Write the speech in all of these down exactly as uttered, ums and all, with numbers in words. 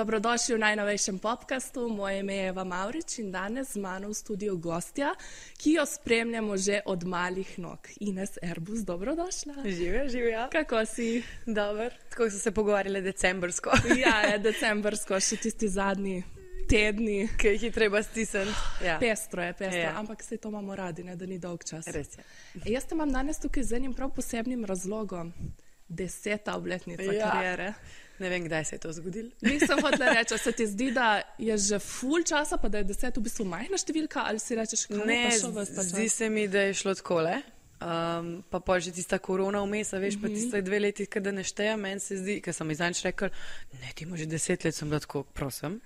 Dobrodošli v najnovejšem podcastu. Moje ime je Eva Mavrič in danes z mano v studiu gostja, ki jo spremljamo že od malih nog. Ines Erbus, dobrodošla. Živja, živja. Kako si? Dobar. Tako so se pogovarjali decembrsko. Ja, je decembrsko, še tisti zadnji tedni. Ki jih je treba stisniti. Ja. Pestro je, pestro, Ja. ampak se to imamo radi, ne, da ni dolg čas. Res je. E, jaz te imam danes tukaj z enim prav posebnim razlogom. Deseta obletnica Ja. kariere. Ne vem, kdaj se je to zgodilo. Nisem hotela reči, se ti zdi, da je že ful časa, pa da je deset v bistvu majhna številka, ali si rečeš, kako Ne, pa šel ves ta zdi čas? se mi, da je šlo takole. Um, pa pa že tista korona vmes, a veš, pa tiste dve leti, kada ne štejem, meni se zdi, ker sem izdanč rekel, ne, ti imaš že deset let, sem bila tako, prosim.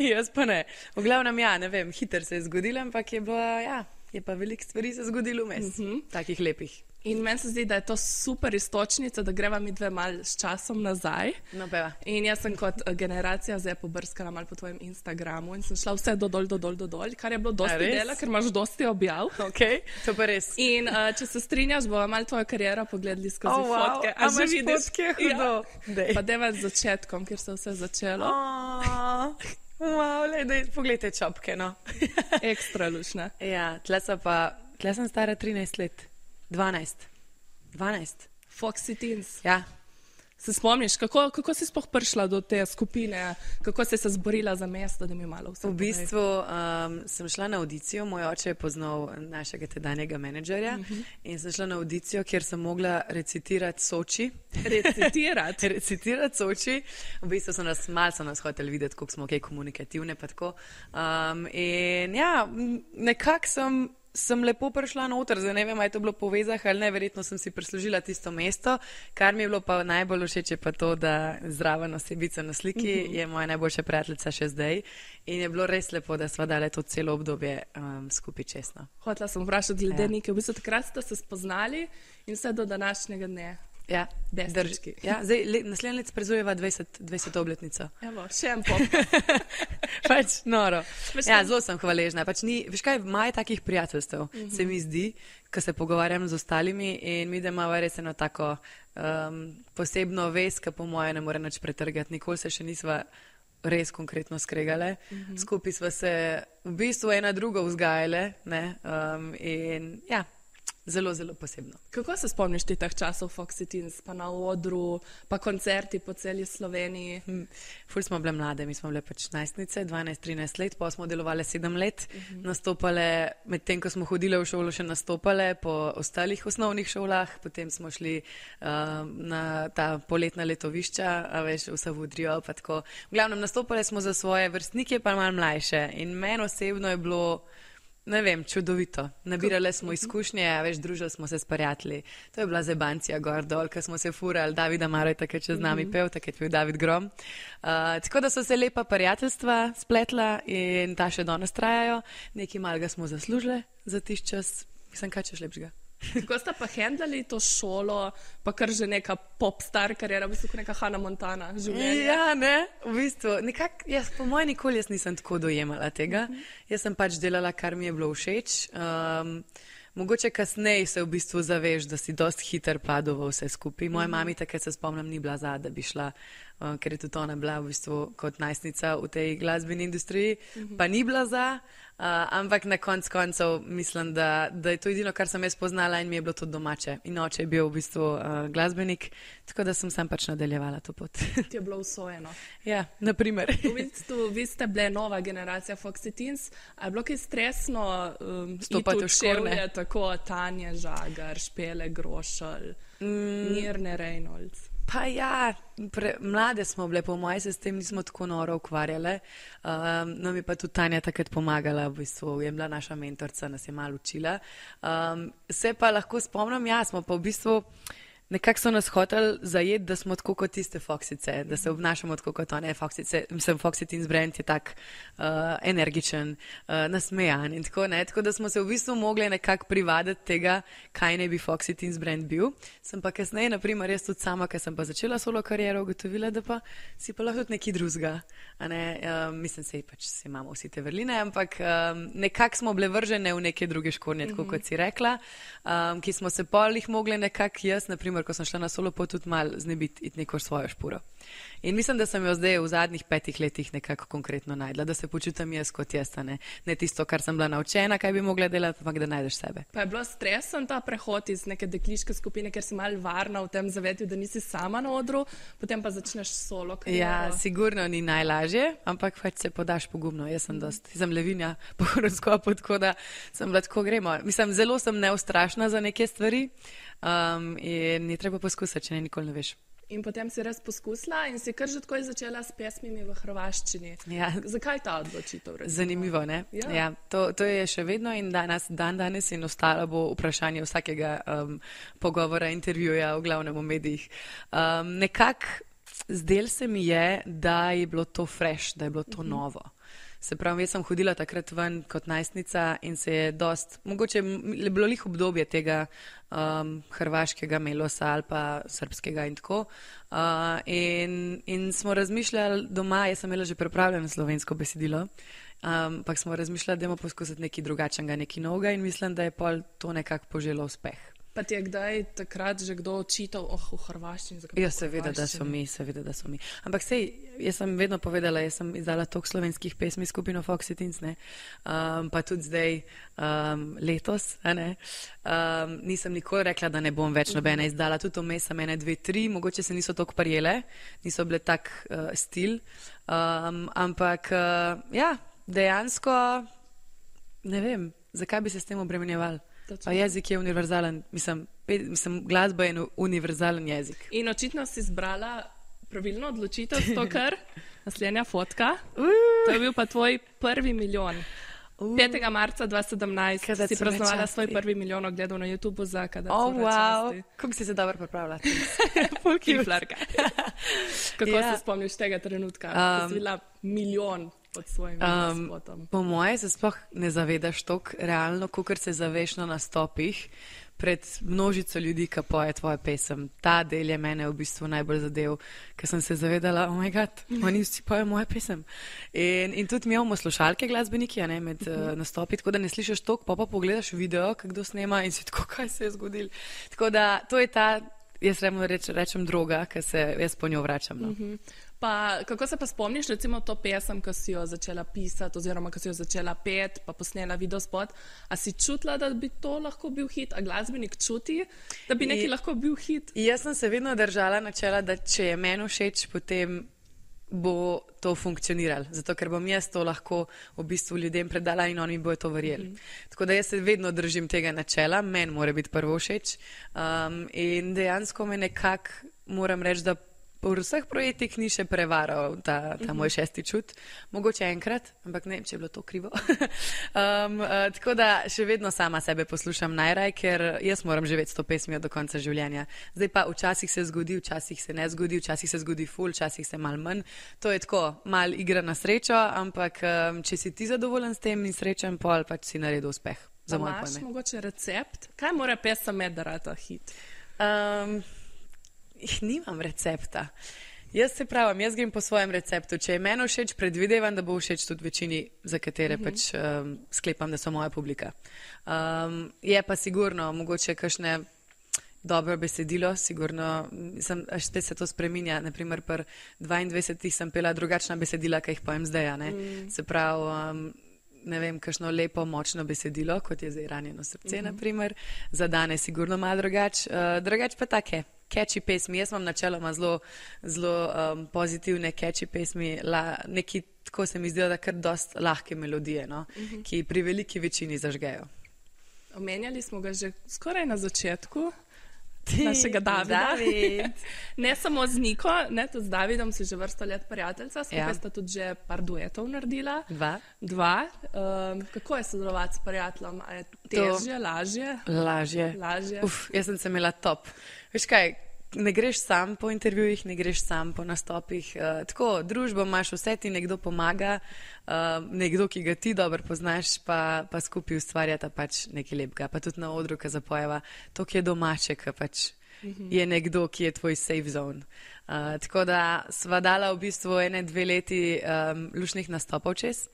Jaz pa ne. V glavnem, ja, ne vem, hiter se je zgodilo, ampak je bila, ja, je pa veliko stvari se zgodilo vmes, takih lepih. In meni se zdi, da je to super istočnica, da greva mi dve mal s časom nazaj. No, peva. In jaz sem kot eh, generacija zdaj pobrskala mal po tvojem Instagramu in sem šla vse dodol, dodol, dodol, kar je bilo dosti res? dela, ker imaš dosti objav. Ok, to pa res. In uh, če se strinjaš, bomo mal tvojo kariero pogledali skozi Oh, wow. fotke. A že imaš vidiš? fotke? Hudo. Dej. Pa deva z začetkom, kjer se je vse začelo. Oh, wow, le, dej, poglejte čopke, no. Ekstra lušna. Ja, tle so pa, tle sem stara trinajst let, dvanajst, dvanajst, Foxy Teens. ja. Se spomniš, kako, kako si sploh prišla do te skupine, kako si se zborila za mesto, da mi malo vse V bistvu um, sem šla na audicijo, moj oče je poznal našega tedanjega menedžerja uh -huh. in sem šla na audicijo, kjer sem mogla recitirati Soči. recitirati. Recitirati Soči. V bistvu so nas, malo so nas hoteli videti, koliko smo kaj komunikativne pa tako. Um, in ja, m, nekako sem sem lepo prišla noter, zdaj ne vem, ali je to bilo po vezah ali ne, verjetno sem si prislužila tisto mesto, kar mi je bilo pa najbolj všeč je pa to, da zraven osebica na sliki je moja najboljša prijateljica še zdaj in je bilo res lepo, da sva dale to celo obdobje um, skupaj čestno. Hotela sem vprašati glede Ja. nekaj, v bistvu takrat ste se spoznali in vse do današnjega dne. Ja, Bestrički. drži. Ja, zdaj le, naslednje let sprezujeva dvajseto obletnico. Evo, še en podcast. Pač noro. Veš Ja, kaj? zelo sem hvaležna. Pač ni, veš kaj, maj takih prijateljstev, se mi zdi, ko se pogovarjam z ostalimi in mi, da imamo res eno tako um, posebno vez, ki po moje ne more nič pretrgati. Nikoli se še nisva res konkretno skregale. Skupaj sva se v bistvu ena drugo vzgajale, ne, um, in ja, zelo, zelo posebno. Kako se spomniš ti teh časov Foxy Teens, pa na odru, pa koncerti po celi Sloveniji? Hm, Ful smo bile mlade, mi smo bile pač najstnice, dvanajst trinajst let, pa smo delovali sedem let, uh-huh. nastopale, medtem ko smo hodile v šolo, še nastopale po ostalih osnovnih šolah, potem smo šli uh, na ta poletna letovišča, a veš, v Savudrijo, pa tako. V glavnem, nastopale smo za svoje vrstnike, pa malo mlajše in meni osebno je bilo, ne vem, čudovito. Nabirali smo izkušnje, a veš, družili smo se s prijatelji. To je bila zebancija gor dol, ko smo se furali, Davida Maroj, takrat če z nami pev, takrat je bil David Grom. Uh, tako da so se lepa prijateljstva spletla in ta še danes trajajo. Nekaj malega smo zaslužili za tiš čas. Mislim, kaj češ lepšega. Kako sta pa hendlali to šolo, pa kar že neka popstar kariera, v bistvu kot neka Hannah Montana življenja? Ja, ne, v bistvu, nekako, jaz po mojem nikoli jaz nisem tako dojemala tega. Jaz sem pač delala, kar mi je bilo všeč. Um, mogoče kasneje se v bistvu zaveš, da si dost hiter padel v vse skupaj. Moja mami takrat se spomnim ni bila za, da bi šla, uh, ker je tudi ona bila v bistvu kot najstnica v tej glasbeni industriji, pa ni bila za. Uh, ampak na konc koncev mislim, da, da je to edino, kar sem jaz poznala in mi je bilo to domače. In oče je bil v bistvu uh, glasbenik, tako da sem sam pač nadaljevala to pot. Ti je bilo usvojeno. Ja, naprimer. V bistvu, vi ste bile nova generacija Foxy Teens, a je bilo kaj stresno um, Stopati v škorne? čevlje, tako Tanja Žagar, Špele Grošelj, mm. Mirne Reynolds. Pa ja, pre, mlade smo bile, po mojem se s tem nismo tako noro ukvarjale. Um, no, mi pa tudi Tanja takrat pomagala, v bistvu je bila naša mentorca, nas je malo učila. Um, se pa lahko spomnim, ja, smo pa v bistvu nekako so nas hoteli zajeti, da smo tako kot tiste Foxice, da se obnašamo tako kot one Foxice. Mislim, Foxy Teens brand je tak uh, energičen, uh, nasmejan in tako ne. Tako da smo se v bistvu mogli nekako privaditi tega, kaj ne bi Foxy Teens brand bil. Sem pa kasneje, naprimer, jaz tudi sama, ker sem pa začela solo kariero, ugotovila, da pa si pa lahko tudi nekaj drugega. Um, mislim, sej pač si imamo vsi te vrline, ampak um, nekako smo bile vržene v neke druge škornje, tako kot si rekla, um, ki smo se pol jih mogli nekako jaz, naprimer, naprimer, ko sem šla na solo pot, tudi mal znebiti iti neko svojo špuro. In mislim, da sem jo zdaj v zadnjih petih letih nekako konkretno najdla, da se počutim jaz kot jaz, ne, ne tisto, kar sem bila naučena, kaj bi mogla delati, ampak da najdeš sebe. Pa je bilo stresen ta prehod iz neke dekliške skupine, ker si mal varna v tem zavetju, da nisi sama na odru, potem pa začneš solo kariero. Ja, sigurno ni najlažje, ampak pač se podaš pogumno. Jaz sem dost, sem levinja po horoskopu, tako da sem bila tako gremo. Mislim, zelo sem neustrašna za neke stvari um, in ni treba poskusiti, če ne nikoli ne veš. In potem si res poskusila in si kar že takoj začela s pesmimi v hrvaščini. Ja. Zakaj ta odločitev? Recimo? Zanimivo, ne? Ja. Ja, to, to je še vedno in danes, dan danes in ostalo bo vprašanje vsakega um, pogovora, intervjuja, v glavnem v medijih. Um, nekako zdel se mi je, da je bilo to fresh, da je bilo to uh-huh. novo. Se pravi, jaz sem hodila takrat ven kot najstnica in se je dost, mogoče je bilo lih obdobje tega um, hrvaškega melosa ali pa srpskega in tako. Uh, in, in smo razmišljali doma, jaz sem imela že pripravljeno slovensko besedilo, ampak um, smo razmišljali, da bomo poskusiti nekaj drugačnega, nekaj novega in mislim, da je pol to nekako poželo uspeh. Pa ti je kdaj takrat že kdo očital, oh, v hrvaščini? Ja, seveda, da so mi, seveda, da so mi. Ampak sej, jaz sem vedno povedala, jaz sem izdala toliko slovenskih pesmi skupino Foxy Teens, ne, um, pa tudi zdaj um, letos, a ne, um, nisem nikoli rekla, da ne bom več nobene izdala, tudi vmes sem ene, dve, tri, mogoče se niso toliko prijele, niso bile tak uh, stil, um, ampak uh, ja, dejansko ne vem, zakaj bi se s tem obremenjevali. Pa jezik je univerzalen, mislim, pe, mislim, glasba je univerzalen jezik. In očitno si izbrala pravilno odločitev, to kar naslednja fotka. Uh. To je bil pa tvoj prvi milijon. Uh. petega marca dva tisoč sedemnajst si praznovala svoj prvi milijon ogledov na YouTubeu za Kada oh, wow. Kako si se dobro pripravila? Kiflarka. Kako yeah. se spomniš tega trenutka, um, ko si bila milijon pod svojim um, spotom? Po moje se sploh ne zavedaš toliko realno, kakor se zaveš na nastopih pred množico ljudi, ki poje tvojo pesem. Ta del je mene v bistvu najbolj zadev, ker sem se zavedala, oh my god, oni vsi pojejo mojo pesem. In, in tudi mi imamo slušalke glasbeniki, ne, med uh, nastopi, tako da ne slišiš toliko, pa pa pogledaš video, kdo snema in si tako, kaj se je zgodilo. Tako da to je ta, jaz reč, rečem droga, ker se jaz po njo vračam. No. Uh-huh. Pa, kako se pa spomniš, recimo to pesem, ko si jo začela pisati oziroma ko si jo začela pet, pa posnela videospot, a si čutila, da bi to lahko bil hit, a glasbenik čuti, da bi nekaj I, lahko bil hit? Jaz sem se vedno držala načela, da če je meni všeč, potem bo to funkcioniralo, zato ker bom jaz to lahko v bistvu ljudem predala in oni bojo to verjeli. Mm-hmm. Tako da jaz se vedno držim tega načela, meni mora biti prvo všeč um, in dejansko me nekako moram reči, da po vseh projektih ni še prevaral ta, ta uh-huh. moj šesti čut. Mogoče enkrat, ampak ne vem, če je bilo to krivo. um, uh, tako da še vedno sama sebe poslušam najraj, ker jaz moram živeti s to pesmijo do konca življenja. Zdaj pa včasih se zgodi, včasih se ne zgodi, včasih se zgodi ful, včasih se mal manj. To je tako, mal igra na srečo, ampak um, če si ti zadovoljen s tem in srečen, pol pač si naredil uspeh. Za moj pojme. Imaš mogoče recept? Kaj mora pesem med, da rata hit? Um, Nimam recepta. Jaz se pravim, jaz grem po svojem receptu. Če je meni všeč, predvidevam, da bo všeč tudi večini, za katere uh-huh. pač um, sklepam, da so moja publika. Um, je pa sigurno, mogoče kakšne dobro besedilo, sigurno, sem, až spet se to spreminja. Naprimer, pri dvaindvajsetih sem pela drugačna besedila, kaj jih pojem zdaj, ne? Mm. Se pravi, um, ne vem, kakšno lepo, močno besedilo, kot je zdaj Ranjeno srce, mm-hmm. naprimer. Za danes sigurno malo drugač. Uh, drugač pa take. Catchy pesmi, jaz imam načeloma zelo, zelo um, pozitivne catchy pesmi, La, neki, tako se mi zdijo, da kar dost lahke melodije, no, uh-huh. ki pri veliki večini zažgejo. Omenjali smo ga že skoraj na začetku, našega Davida. David. Ne samo z Niko, ne, tudi z Davidom si že vrsto let prijateljca, skupaj ja. sta tudi že par duetov naredila. Dva. Dva. Um, kako je sodelovati s prijateljem? A je težje, to... lažje? Lažje. Lažje. Uf, jaz sem se imela top. Veš kaj, ne greš sam po intervjujih, ne greš sam po nastopih. Uh, tako, družbo imaš, vse ti nekdo pomaga, uh, nekdo, ki ga ti dobro poznaš, pa, pa skupaj ustvarjata pač nekaj lepega. Pa tudi na odru, ki zapojeva, to, ki je domače, ki pač mm-hmm. je nekdo, ki je tvoj safe zone. Uh, tako da sva dala v bistvu ene, dve leti um, lušnih nastopov čez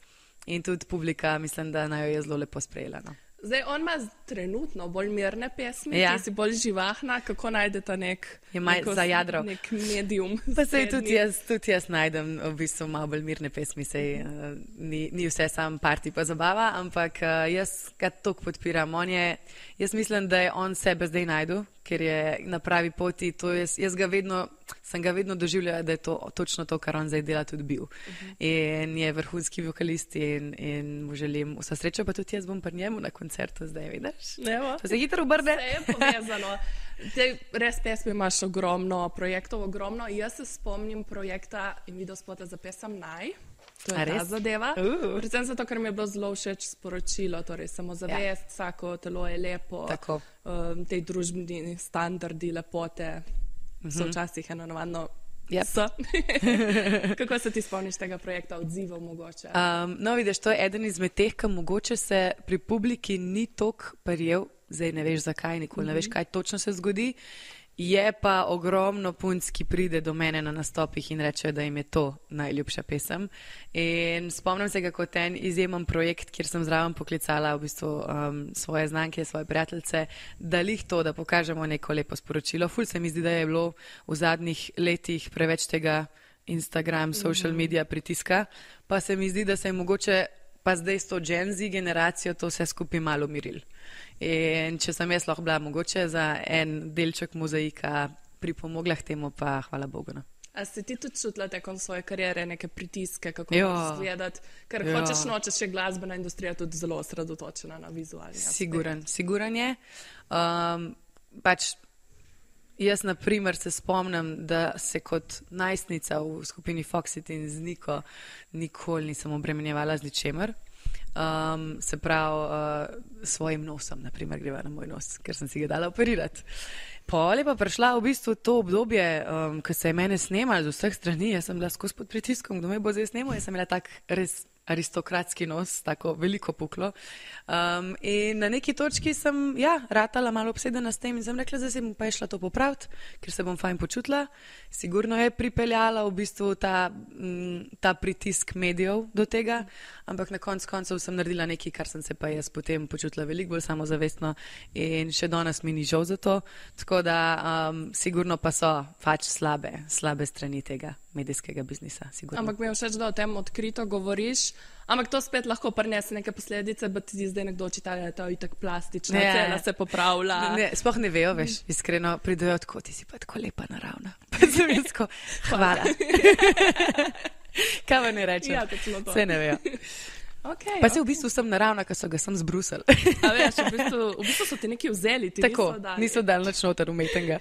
in tudi publika, mislim, da naj jo je zelo lepo sprejela. No. Zdaj, on ima trenutno bolj mirne pesmi, Ja. ti si bolj živahna, kako najdete nek, Je malo neko- za jadro. nek medium. Pa sej tudi srednji. jaz, tudi jaz najdem v bistvu malo bolj mirne pesmi, sej uh, ni, ni vse sam parti pa zabava, ampak uh, jaz ga toliko podpiram. On je, jaz mislim, da je on sebe zdaj najdu, ker je na pravi poti. To jaz, jaz ga vedno, sem ga vedno doživljala, da je to točno to, kar on zdaj dela, tudi bil. Uh-huh. In je vrhunski vokalist in, in mu želim vsa sreča, pa tudi jaz bom pri njemu na koncertu zdaj, vidiš? Evo. To se hitro obrne. Vse je povezano. Te, res pesmi imaš ogromno projektov, ogromno. Jaz se spomnim projekta in videospota za pesem Naj. To je A ta res? zadeva. Uh. Predvsem zato, ker mi je bilo zelo všeč sporočilo, torej samozavest, ja. Vsako telo je lepo, Tako. um, te družbeni standardi lepote uh-huh. so včasih eno navadno. Yep. So. Kako se ti spomniš tega projekta, odzivov mogoče? Um, no, vidiš, to je eden izmed teh, ki mogoče se pri publiki ni tok prijel, zdaj ne veš zakaj, nikoli mm-hmm. ne veš, kaj točno se zgodi. Je pa ogromno punc, ki pride do mene na nastopih in reče, da jim je to najljubša pesem. In spomnim se ga kot en izjemen projekt, kjer sem zraven poklicala v bistvu um, svoje znanke, svoje prijateljice, da lih to, da pokažemo neko lepo sporočilo. Ful se mi zdi, da je bilo v zadnjih letih preveč tega Instagram, social media pritiska, pa se mi zdi, da se je mogoče pa zdaj s to Gen Z generacijo to vse skupaj malo umiril. In če sem jaz lahko bila mogoče za en delček mozaika pripomogla k temu, pa hvala Bogu. No. A si ti tudi čutila tekom svoje kariere neke pritiske, kako Ja. moraš izgledati? Ker Ja. hočeš nočeš, je glasbena industrija tudi zelo osredotočena na vizualni aspekt. Siguren, siguren je. Um, pač jaz, na primer, se spomnim, da se kot najstnica v skupini Foxit in z Niko nikoli nisem obremenjevala z ničemer. Um, se pravi, uh, svojim nosom, na primer, greva na moj nos, ker sem si ga dala operirati. Pol je pa prišla v bistvu to obdobje, um, ko se je mene snemalo z vseh strani, jaz sem bila skozi pod pritiskom, kdo me bo zdaj snemal, jaz sem imela tak res aristokratski nos, tako veliko puklo. Um, in na neki točki sem, ja, ratala malo obsedena s tem in sem rekla, da se bom pa je šla to popraviti, ker se bom fajn počutila. Sigurno je pripeljala v bistvu ta, m, ta pritisk medijev do tega, ampak na koncu koncev sem naredila nekaj, kar sem se pa jaz potem počutila veliko bolj samozavestno in še danes mi ni žal za to. Tako da um, sigurno pa so pač slabe, slabe strani tega medijskega biznisa. Sigurno. Ampak mi je všeč, da o tem odkrito govoriš, ampak to spet lahko prinese neke posledice, da ti zdaj nekdo očita, da je to itak plastična, Ne. cela se popravlja. Ne, sploh ne vejo, veš, iskreno pridejo tako, ti si pa tako lepa naravna. Pa sem jaz tako, hvala. Kaj vam ne rečem? Ja, točno to. Vse ne vejo. Okay, Pa se v bistvu sem naravna, ker so ga sem zbrusili. A veš, v bistvu, v bistvu so ti neki vzeli, ti Tako, niso dali. niso dal nič noter umetenega.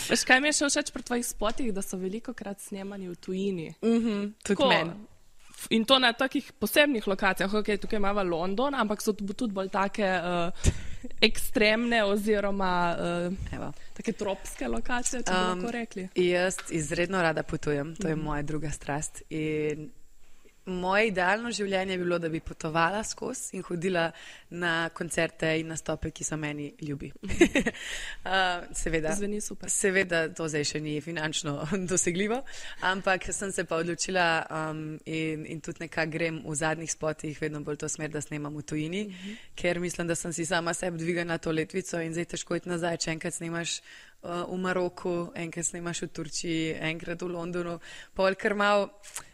Veš, kaj mi je še všeč pri tvojih spotih, da so veliko krat snemani v tujini. Mhm, tudi Tako, meni. In to na takih posebnih lokacijah, okay, tukaj imamo London, ampak so tudi bolj take uh, ekstremne oziroma uh, Evo. take tropske lokacije, če bi Um, lahko rekli. Jaz izredno rada potujem, to je moja druga strast. In moje idealno življenje bi bilo, da bi potovala skozi in hodila na koncerte in nastope, ki so meni ljubi. uh, seveda, Zveni super. seveda to zdaj še ni finančno dosegljivo, ampak sem se pa odločila um, in, in tudi nekako grem v zadnjih spotih vedno bolj to smer, da snemam v tujini, uh-huh. ker mislim, da sem si sama sebi dvigala to letvico in zdaj težko iti nazaj, če enkrat snemaš uh, v Maroku, enkrat snemaš v Turčiji, enkrat v Londonu, pol kar malo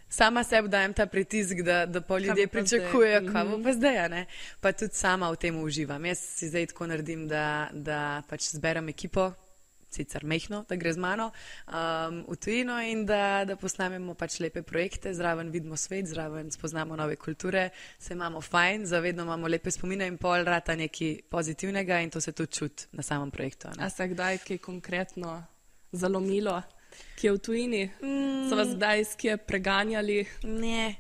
sama sebi dajem ta pritisk, da, da pol ljudje bo pa pričakujejo, zdaj? kaj bo pa zdaj, a ne? Pa tudi sama v tem uživam. Jaz si zdaj tako naredim, da, da pač zberem ekipo, sicer mehno, da gre z mano um, v tujino in da, da posnamemo pač lepe projekte, zraven vidimo svet, zraven spoznamo nove kulture, se imamo fajn, zavedno imamo lepe spomine in pol rata nekaj pozitivnega in to se tudi čuti na samem projektu. a ne. A se kdaj kaj konkretno zalomilo, ki je v tujini? Mm. So vas kdaj s kje preganjali? Ne,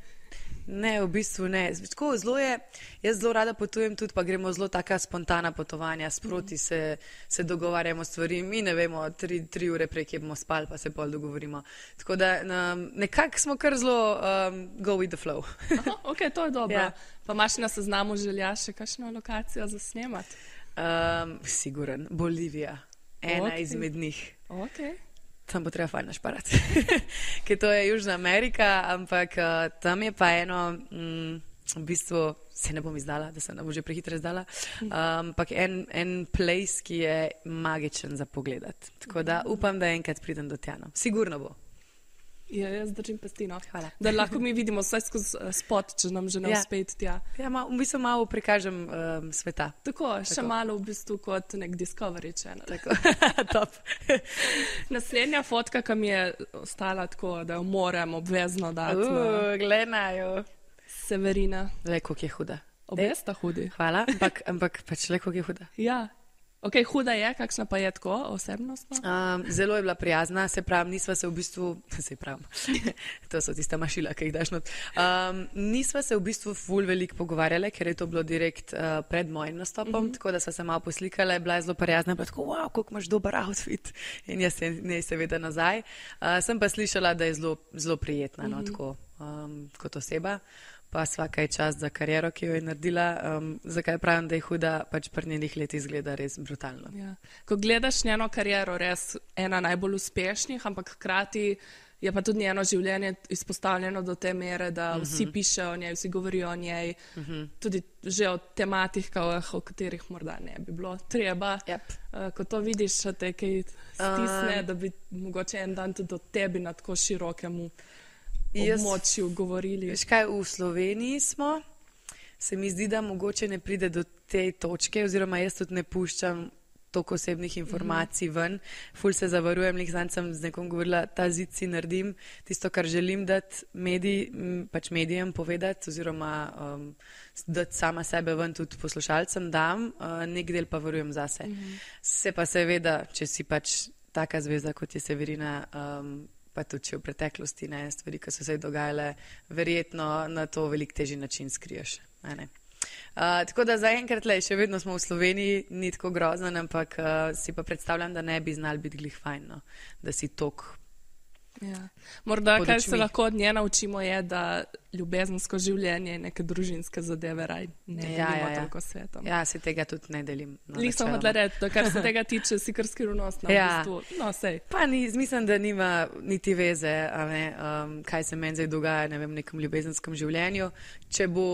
ne, v bistvu ne. Tako, zelo je, jaz zelo rada potujem tudi, pa gremo zelo taka spontana potovanja, sproti se, se dogovarjamo stvari, mi ne vemo, tri, tri ure prej, kje bomo spali, pa se pol dogovorimo. Tako da um, nekako smo kar zelo um, go with the flow. Aha, ok, to je dobro. Ja. Pa imaš na seznamu želja še kakšno lokacijo za snemati? Um, siguren, Bolivija, ena Ok. izmed njih. Ok. Tam bo treba fajn našparati, ker to je Južna Amerika, ampak uh, tam je pa eno, mm, v bistvu se ne bom izdala, da se ne bo že prehitro izdala, ampak um, en, en place, ki je magičen za pogledati. Tako da upam, da enkrat pridem do tja. No. Sigurno bo. Ja, jaz držim pesti, no. Hvala. Da lahko mi vidimo vse skozi spot, če nam že ne Ja. uspe iti tja. Ja, ma, v bistvu malo prikažem um, sveta. Tako, še Tako. malo v bistvu kot nek Discovery Channel. Tako. Top. Naslednja fotka, ki mi je ostala tako, da jo moram obvezno dati na Uh, gledajo. Severina. Le, koliko je huda. Obe sta hudi. Hvala, ampak, ampak pač le, koliko je huda. Ja. Ok, huda je, kakšna pa je tako osebnostno? Um, zelo je bila prijazna, se pravim, nisva se v bistvu, se pravim, to so tista mašila, ki jih daš not. Um, nisva se v bistvu ful veliko pogovarjale, ker je to bilo direkt uh, pred mojim nastopom, mm -hmm. tako da sva se malo poslikala, bila je zelo prijazna, pa tako, wow, koliko imaš dober outfit. In jaz se ne seveda nazaj. Uh, sem pa slišala, da je zelo, zelo prijetna, no, mm -hmm. tako, um, kot oseba. Pa svaka je čas za kariero, ki jo je naredila. Um, zakaj pravim, da je huda, pač pri njenih letih izgleda res brutalno. Ja. Ko gledaš njeno kariero, res ena najbolj uspešnih, ampak hkrati je pa tudi njeno življenje izpostavljeno do te mere, da uh -huh. vsi pišejo o njej, vsi govorijo o njej, uh -huh. tudi že o tematikah, o katerih morda ne bi bilo treba. Yep. Uh, ko to vidiš, te kaj stisne, uh, da bi mogoče en dan tudi o tebi na tako širokemu območju govorili. Veš kaj, v Sloveniji smo, se mi zdi, da mogoče ne pride do te točke, oziroma jaz tudi ne puščam toliko osebnih informacij ven. Ful se zavarujem, lih zanj sem z nekom govorila, ta zid si naredim, tisto, kar želim dati medij, pač medijem povedati, oziroma um, dati sama sebe ven tudi poslušalcem dam, uh, nek del pa varujem zase. Mm-hmm. Se pa seveda, če si pač taka zvezda, kot je Severina, um, pa tudi če v preteklosti ne, stvari, ki so se dogajale, verjetno na to veliko težji način skriješ. Ne, ne. Uh, tako da zaenkrat le, še vedno smo v Sloveniji, ni tako grozno, ampak uh, si pa predstavljam, da ne bi znali biti glih fajn, no, da si tok. Ja. Morda, kar se lahko od nje naučimo, je, da ljubezensko življenje in neke družinske zadeve raj ne delimo Ja, ja, ja. toliko svetom. Ja, se tega tudi ne delim. No, Lih sem načeloma. hodila reči, da kar se tega tiče, si kar skrivnostna. Ja. V bistvu. No, sej. Pa ni, mislim, da nima niti veze, a ne, um, kaj se meni zdaj dogaja, ne vem, v nekem ljubezenskem življenju. Če bo,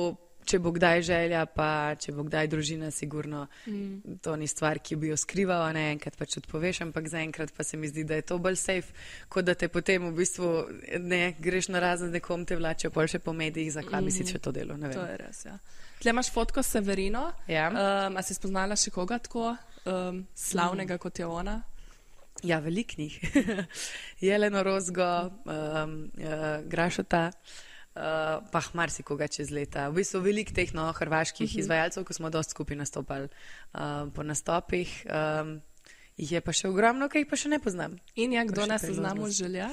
če bo kdaj želja, pa če bo kdaj družina, sigurno mm. to ni stvar, ki bi jo skrivala, ne enkrat pač odpoveš, ampak zaenkrat pa se mi zdi, da je to bolj safe, kot da te potem v bistvu ne greš na razen z nekom, te vlačijo pol še po medijih, zakaj mm. bi si še to delo, ne vem. To je res, ja. Tle imaš fotko s Severino. Ja. Um, a si spoznala še koga tako um, slavnega, mm. kot je ona? Ja, velik njih. Jeleno Rozgo, um, uh, Grašota, uh, pa marsikoga čez leta. V bistvu veliko teh no, hrvaških uh-huh. izvajalcev, ko smo dosti skupaj nastopali um, po nastopih. Um, jih je pa še ogromno, ki jih pa še ne poznam. In je kdo na seznamu želja?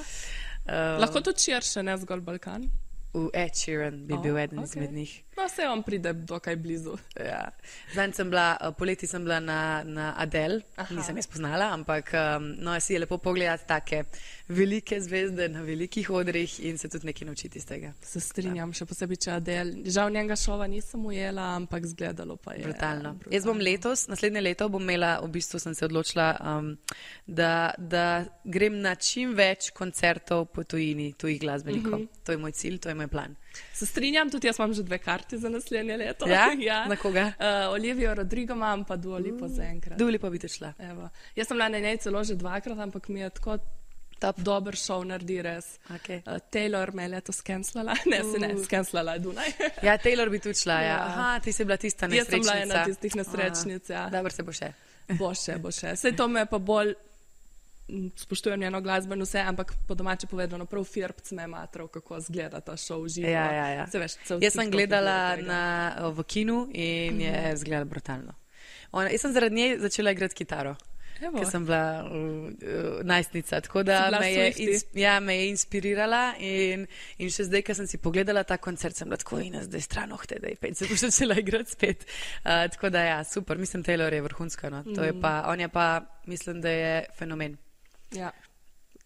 Um, Lahko tudi širše, ne zgolj Balkan? V Ed Sheeran bi oh, bil eden okay. izmed njih. No, se on pride dokaj blizu. Ja. Zdaj sem bila, poleti sem bila na, na Adele, Aha. nisem je spoznala, ampak um, no, si je lepo pogledati take velike zvezde na velikih odrih in se tudi nekaj naučiti iz tega. Se strinjam, ja. Še posebej, če Adele. Žal njenega šova nisem ujela, ampak zgledalo pa je. Brutalno. brutalno. Jaz bom letos, naslednje leto bom imela, v bistvu sem se odločila, um, da, da grem na čim več koncertov po tujini, tujih glasbenikov. Mm-hmm. To je moj cilj, to je moj plan. Se strinjam, tudi jaz imam že dve karti za naslednje leto. Ja? ja. Na koga? Uh, Olivijo Rodrigo imam, pa Dua Lipo uh, zaenkrat. Dua Lipo bi te šla. Evo. Jaz sem bila na njej celo že dvakrat, ampak mi je tako top. Dober šov naredi res. Okay. Uh, Taylor me je leto skenslala, ne, uh. se ne, skenslala je Dunaj. Ja, Taylor bi tudi šla, ja. ja. Aha, ti si bila tista nesrečnica. Jaz sem bila ena tistih nesrečnic, ja. Dobro se bo še. Bo še, bo še. Sej to me pa bolj spoštujem njeno glasbo in vse, ampak po domače povedano, prav firbc me je matral, kako zgleda ta šov živo. Ja, ja, ja. Se veš, jaz sem gledala na, v kinu in je mm. zgledala brutalno. Ona, jaz sem zaradi nje začela igrati kitaro, ker sem bila uh, uh, najstnica, tako da me je, ins, ja, me je inspirirala in, in še zdaj, ko sem si pogledala ta koncert, sem bila tako in zdaj stran ohte, da je pet, se bo začela igrati spet. Uh, tako da ja, super, mislim, Taylor je vrhunska, no. To je pa, on je pa, mislim, da je fenomen. Ja,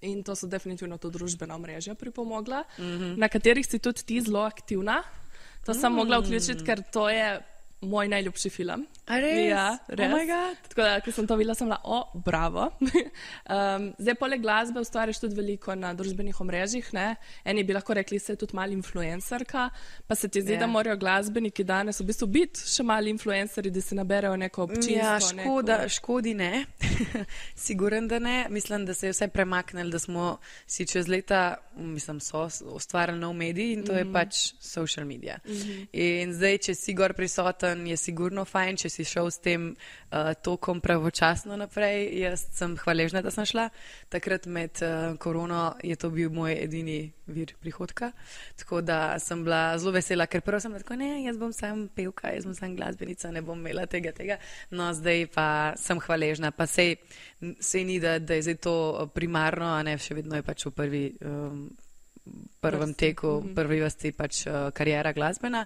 in to so definitivno to družbena omrežja pripomogla, mm-hmm. na katerih si tudi ti zelo aktivna. To mm. sem mogla vključiti, ker to je moj najljubši film. A res? Ja, res. Oh my God. Tako da, ko sem to videla, sem bila, o, bravo. um, zdaj, poleg glasbe ustvariš tudi veliko na družbenih omrežjih, ne? Eni bi lahko rekli, se je tudi malo influencerka, pa se ti zdi, yeah. da morajo glasbeniki danes v bistvu biti še mali influenceri, da si naberejo neko občinstvo. Ja, škoda, neko... škodi ne. Siguren, da ne. Mislim, da se je vse premaknili, da smo si čez leta, mislim, so ustvarjali nov medij in to mm-hmm. je pač social media. Mm-hmm. In zdaj, če si gor prisoten, je sigurno fajn, če si šel s tem uh, tokom pravočasno naprej. Jaz sem hvaležna, da sem šla. Takrat med uh, korono je to bil moj edini vir prihodka. Tako da sem bila zelo vesela, ker prvo sem bila tako, ne, jaz bom sam pevka, jaz bom sam glasbenica, ne bom imela tega, tega. No, zdaj pa sem hvaležna. Pa sej, sej ni, da, da je zdaj to primarno, a ne, še vedno je pač v prvi... Um, prvem teku, mm-hmm. prvi vrsti pač uh, karijera glasbena,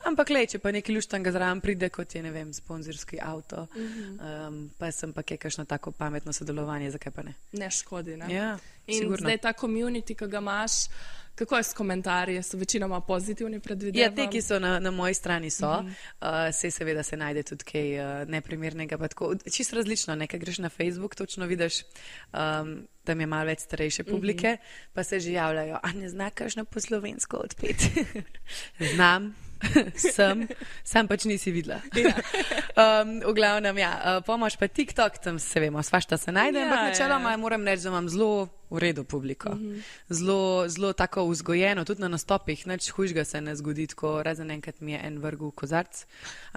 ampak lej, če pa nekaj luštanga zraven pride, kot je, ne vem, sponzorski avto, mm-hmm. um, pa sem pa kaj kakšno tako pametno sodelovanje, zakaj pa ne? Ne škodi, ne? Ja, in sigurno. Zdaj ta community, ki ga imaš, kako je s komentarji? So večinoma pozitivni, predvidevam? Ja, te, ki so na, na moji strani so, mm-hmm. uh, se seveda se najde tudi kaj uh, neprimernega, pa tako, čisto različno, nekaj greš na Facebook, točno vidiš, um, tam je malo več starejše publike, mm-hmm. pa se že javljajo, a ne zna kakšno po slovensko odpet. Znam, sem, sam pač nisi videla. Ja. um, v glavnem, ja, uh, pomoč pa TikTok, tam se vemo, svašta se najde, ja, ampak načeloma ja. moram reči, da imam zelo v redu publiko. Mm-hmm. Zelo, zelo tako vzgojeno, tudi na nastopih, nič hujšega se ne zgodi, tako razen enkrat mi je en vrgel kozarc,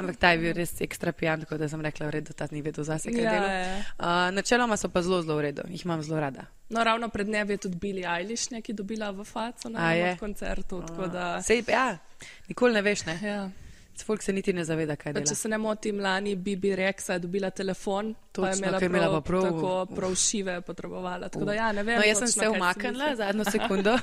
ampak ta je bil res ekstra pijan, tako da sem rekla, v redu, ta ni vedel zase, kaj ja, delo. Uh, načeloma so pa zelo, zelo v redu, jih imam zelo rada. No, ravno pred dnevi je tudi Billie Eilish neki dobila v faco na enem koncertu, tako da... Sej, ja, nikoli ne veš, ne? Ja. Folk se niti ne zaveda, kaj dela. Če se ne motim, lani Bibi Rexa je dobila telefon, točno, pa je imela, prav, imela prav, tako prav šive potrebovala. Tako da ja, ne vem. No, jaz sem se umaknila zadnjo sekundo.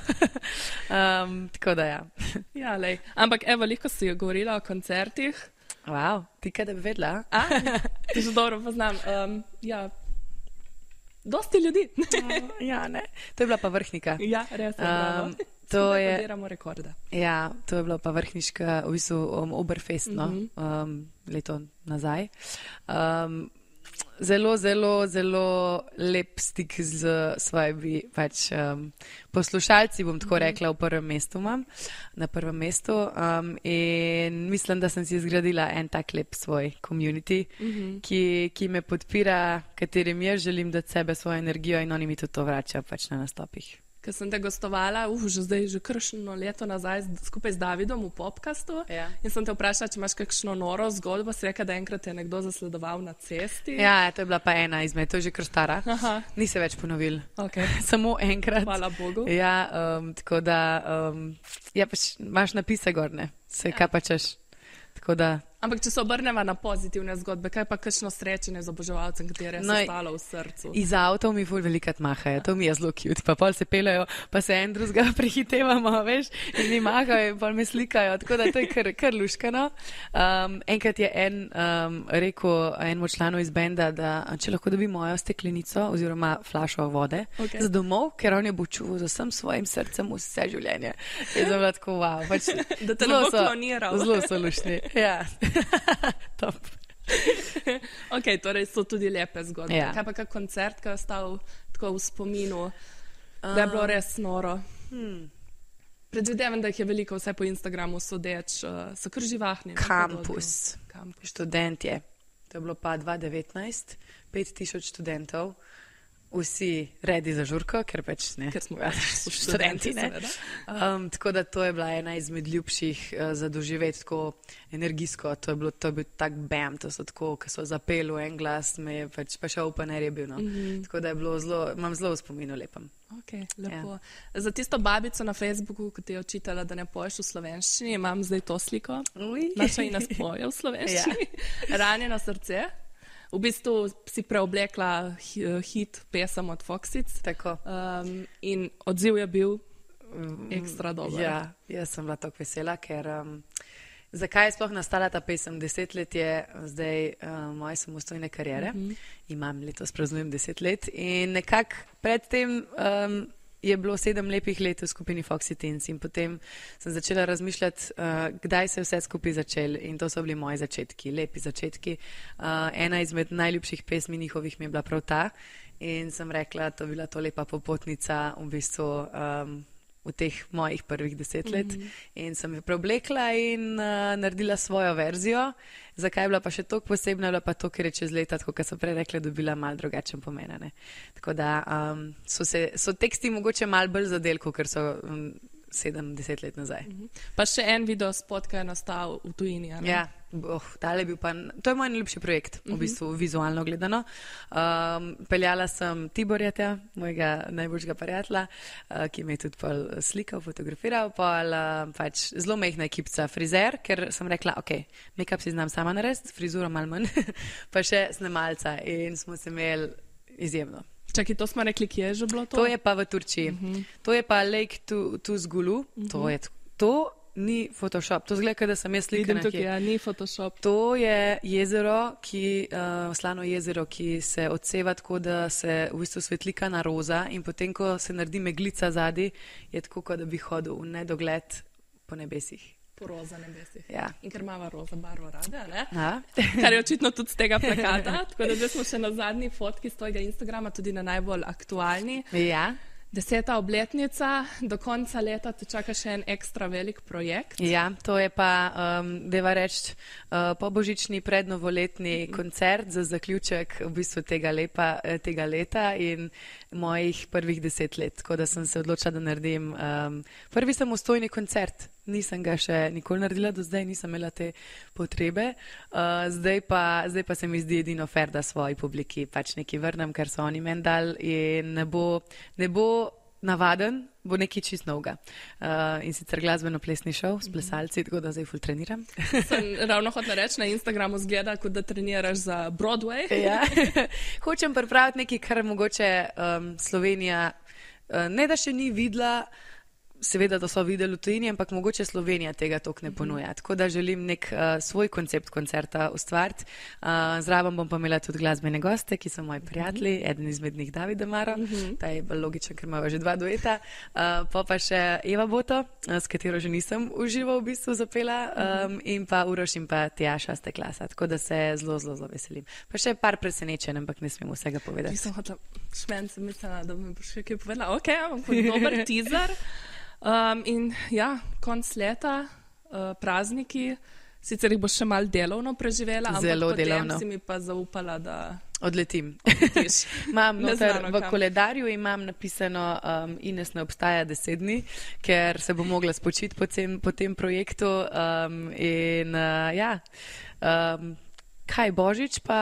um, tako da ja. Ja, lej. Ampak evo, veliko si govorila o koncertih. Wow, ti kaj da bi vedela? A, ti že dobro poznam. Um, ja, dosti ljudi. Ja, ne. To je bila pa vrhnika. Ja, res je, bravo. Um, To je, ja, to je bilo pa vrhniška, v bistvu um, Oberfest, no, mm-hmm. um, leto nazaj. Um, zelo, zelo, zelo lep stik z svojimi pač, um, poslušalci, bom tako mm-hmm. rekla, v prvem mestu imam, na prvem mestu. Um, in mislim, da sem si zgradila en tak lep svoj community, mm-hmm. ki, ki me podpira, katerim jaz želim dati sebe, svojo energijo in oni mi tudi to vračajo pač na nastopih. Ker sem te gostovala, uh, že zdaj, že kršno leto nazaj, skupaj z Davidom v podcastu. Ja. In sem te vprašala, če imaš kakšno noro zgodbo, si rekla, da enkrat je nekdo zasledoval na cesti. Ja, to je bila pa ena izmed, to je že kar stara. Aha. Ni se več ponovil. Okay. Samo enkrat. Hvala Bogu. Ja, um, tako da, um, ja, pač imaš napise gorne, se ja. Kaj pa češ. Tako da... Ampak če se obrneva na pozitivne zgodbe, kaj pa kakšno srečanje z oboževalcem, kateri je no, se stalo v srcu? Iz avtov mi ful velikrat mahajo, to mi je zelo cute, pa pol se pelejo, pa se en drugega prehitevamo, veš, in mi mahajo in pol me slikajo, tako da to je kar, kar luškano. Um, enkrat je en um, rekel enemu članu iz benda, da če lahko dobi mojo steklenico oziroma flašo vode okay. za domov, ker on je bo čuval z vsem svojim srcem vse življenje. Je zelo tako, wow, pač, da te ne bo kloniral. Zelo so lušni, ja. Top. Ok, torej so tudi lepe zgodbe. Ja. Kaj pa kak koncert, ki je ostal tako v spominu, uh, da je bilo res noro? Hmm. Predvidevam, da jih je veliko, vse po Instagramu sodeč, uh, so kar živahni. Kampus. Kampus. Študent je. To je bilo pa dva tisoč devetnajst, pet tisoč študentov. Vsi redi za žurko, ker pač ne. Ker smo pač študenti, ne. Um, tako da to je bila ena izmed ljubših uh, za doživeti tako energijsko. To je bilo, to je bil tak bam, to so tako, ki so zapeli v en glas, me je pač pa še open air je bil, no. Mm-hmm. Tako da je bilo zelo, imam zelo v spominu lepem. Ok, lepo. Ja. Za tisto babico na Facebooku, ki ti je očitala, da ne poješ v slovenščini, imam zdaj to sliko. Uj. Naša Ina spoje v slovenščini. Ja. Ranjeno srce. V bistvu si preoblekla hit pesem od Foxic. Tako. Um, in odziv je bil ekstra dober. Ja, jaz sem bila tako vesela, ker um, zakaj je sploh nastala ta pesem? Deset let je zdaj um, moje samostojne kariere. Mm-hmm. Imam letos praznujem deset let in nekako predtem um, je bilo sedem lepih let v skupini Foxy Teens in potem sem začela razmišljati, uh, kdaj se je vse skupaj začelo in to so bili moji začetki, lepi začetki. Uh, ena izmed najljubših pesmi njihovih mi je bila prav ta in sem rekla, to je bila to lepa popotnica v bistvu um, v teh mojih prvih deset let mm-hmm. in sem jo preoblekla in uh, naredila svojo verzijo. Zakaj je bila pa še toliko posebna, bila pa to, ker je čez leta, tako kot so prej rekla, dobila mal drugačen pomen. Ne? Tako da um, so, se, so teksti mogoče mal bolj zadelko, ker so um, sedem, deset let nazaj. Mm-hmm. Pa še en video spot, ki je nastal v tujini. Ja, oh, tale je bil pa, to je moj najljubši projekt, mm-hmm. v bistvu vizualno gledano. Um, peljala sem Tiborja, mojega najboljšega prijatelja, uh, ki me je tudi pol slikal, fotografiral, pol uh, pač zelo mehna ekipca, frizer, ker sem rekla, ok, make-up si znam sama narediti, frizuro malo manj, pa še snemalca in smo se imeli izjemno. Čakaj, to smo rekli, kje je že bilo to? To je pa v Turčiji. Uh-huh. To je pa Lake Tuzgulu. Uh-huh. To je, to ni Photoshop. To zgleda, da sem jaz slikana. Vidim tukaj, ja, ni Photoshop. To je jezero, ki, uh, slano jezero, ki se odseva tako, da se v bistvu svetlika na roza in potem, ko se naredi meglica zadi, je tako, kot da bi hodil v nedogled po nebesih. Po roza nebesih. Ja. In ker imava roza barvo rada, ne? Ja. Kar je očitno tudi z tega plakata. Tako da zdaj smo še na zadnji fotki z tvojega Instagrama, tudi na najbolj aktualni. Ja. Deseta obletnica, do konca leta te čaka še en ekstra velik projekt. Ja, to je pa, um, deva reči, uh, pobožični prednovoletni mm. koncert za zaključek v bistvu tega, lepa, tega leta in mojih prvih deset let. Tako da sem se odločila, da naredim um, prvi samostojni koncert. Nisem ga še nikoli naredila do zdaj, nisem imela te potrebe. Uh, zdaj, pa, zdaj pa se mi zdi edino fair, da svoji publiki pač nekaj vrnem, ker so oni meni dali in ne bo, ne bo navaden, bo nekaj čist novega. Uh, in sicer glasbeno-plesni šov s plesalci, tako da zdaj ful treniram. Sem ravno hotela reči, na Instagramu zgleda, kot da treniraš za Broadway. Ja. Hočem pripraviti nekaj, kar mogoče um, Slovenija uh, ne da še ni videla, seveda, da so videli v tujini, ampak mogoče Slovenija tega toliko ne ponuja. Tako da želim nek uh, svoj koncept koncerta ustvariti. Uh, zraven bom pa imela tudi glasbene goste, ki so moji prijatelji, eden izmed njih David Amaro, ta je bolj logičen, ker imamo že dva dueta. Uh, pa pa še Eva Boto, uh, s katero že nisem užival v bistvu zapela, um, in pa Uroš in pa Tjaša ste klasa. Tako da se zelo, zelo, zelo veselim. Pa še par presenečenj, ampak ne smem vsega povedati. Nisem hotela, šmen sem mislila, da bom še kaj povedala. Ok, ampak dober teaser. Um, in ja, konc leta, uh, prazniki, sicer jih boš še malo delovno preživela, Zelo ampak potem delovno. si mi pa zaupala, da odletim. odletiš. Imam noter, v kam. koledarju imam napisano um, Ines ne obstaja deset dni, ker se bo mogla spočiti po tem, po tem projektu um, in uh, ja, um, kaj Božič pa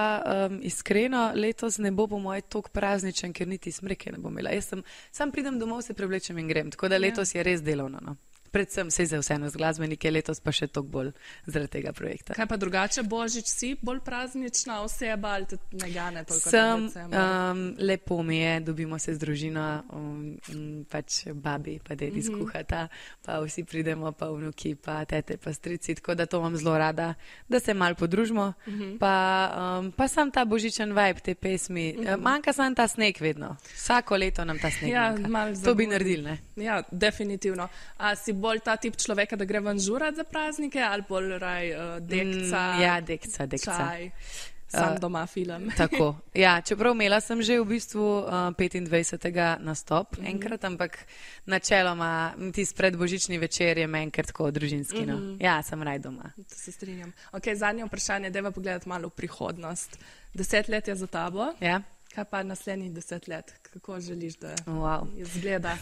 um, iskreno letos ne bo po moje toliko prazničen, ker niti smreke ne bom imela. Jaz sem, sam pridem domov, se prevlečem in grem, tako da letos je res delovno. No. Predvsem se za vseeno z glasbenike, letos pa še toliko bolj zaradi tega projekta. Kaj pa drugače, Božič si bolj praznična oseba ali te ne gane toliko? Sem, um, lepo mi je, dobimo se z družino, um, um, pač babi pa dedi Mhm. skuhata, pa vsi pridemo, pa vnuki, pa tete, pa strici, tako da to imam zelo rada, da se mal podružimo, pa, um, pa sam ta božičen vibe te pesmi, uh, manjka sam ta sneg vedno, vsako leto nam ta sneg Ja, manjka, malo to bi zabudi. naredili, ne? Ja, definitivno. A si bolj ta tip človeka, da gre ven žurat za praznike ali bolj raj uh, dekca, Mm, ja, dekca, dekca. čaj, sam Uh, doma film. Tako, ja, čeprav imela sem že v bistvu uh, petindvajsetega nastop Mhm. enkrat, ampak načeloma tisti predbožični večer je meni kar tako družinski. No. Mhm. Ja, sem raj doma. To se strinjam. Ok, zadnje vprašanje, dajva pogledati malo v prihodnost. Deset let je za tabo, Ja? kaj pa naslednjih deset let? Kako želiš, da Wow. izgleda?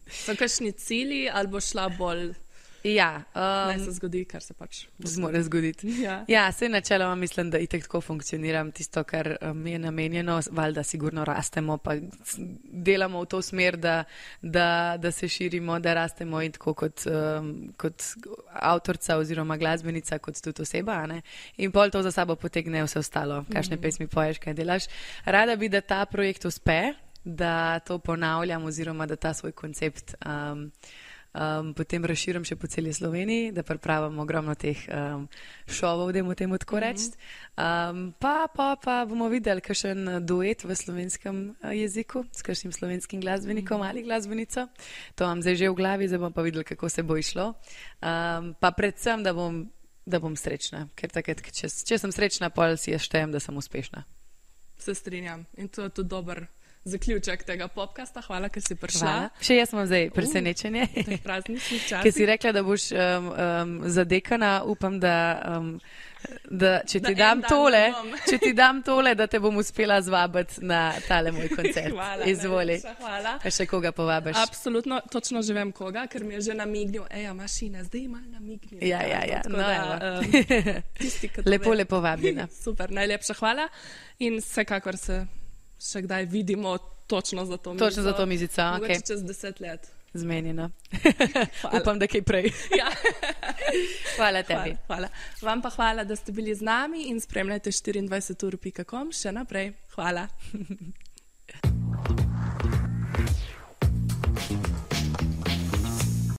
So kakšni cilji ali bo šla bolj, Ja, naj um, se zgodi, kar se pač zmore zgoditi. Ja. Ja, se načeloma mislim, da itek tako funkcioniram, tisto, kar um, je namenjeno, valjda sigurno rastemo, pa s- delamo v to smer, da, da, da se širimo, da rastemo in tako kot, um, kot avtorica oziroma glasbenica, kot tudi oseba, a ne? In pol to za sabo potegne vse ostalo, kakšne Mhm. pesmi poješ, kaj delaš. Rada bi, da ta projekt uspe, da to ponavljam oziroma da ta svoj koncept um, um, potem razširim še po celi Sloveniji, da pripravim ogromno teh um, šovov, da mu temu tako reči. Um, pa, pa, pa bomo videli kakšen duet v slovenskem uh, jeziku s kakšnim slovenskim glasbenikom ali glasbenico. To imam zdaj že v glavi, zdaj bom pa videli, kako se bo išlo. Um, pa predvsem, da bom, da bom srečna, ker takrat, če, če sem srečna, pol si jaz štejem, da sem uspešna. Se strinjam in to je tudi dober zaključek tega podcasta. Hvala, ker si prišla. Hvala. Še jaz imam zdaj presenečenje. Uh, prazničnih časih. Ker si rekla, da boš um, um, zadekana, upam, da, um, da če ti da dam tole, če ti dam tole, da te bom uspela zvabiti na tale moj koncert. Hvala. Izvoli. Hvala. Pa še koga povabiš? Absolutno, točno že vem koga, ker mi je že namignil, eja, mašina, zdaj ima namignil. Ja, ja, ja. No, da, um, tisti, lepo, lepo vabljena. Super, najlepša hvala in vsekakor se še kdaj vidimo točno za to mizico. Točno za to mizico, ok. Mogoče čez deset let. Zmenjeno. Upam, da kaj prej. Ja. Hvala tebi. Hvala, hvala. Vam pa hvala, da ste bili z nami in spremljajte štiriindvajset ur pika com še naprej. Hvala.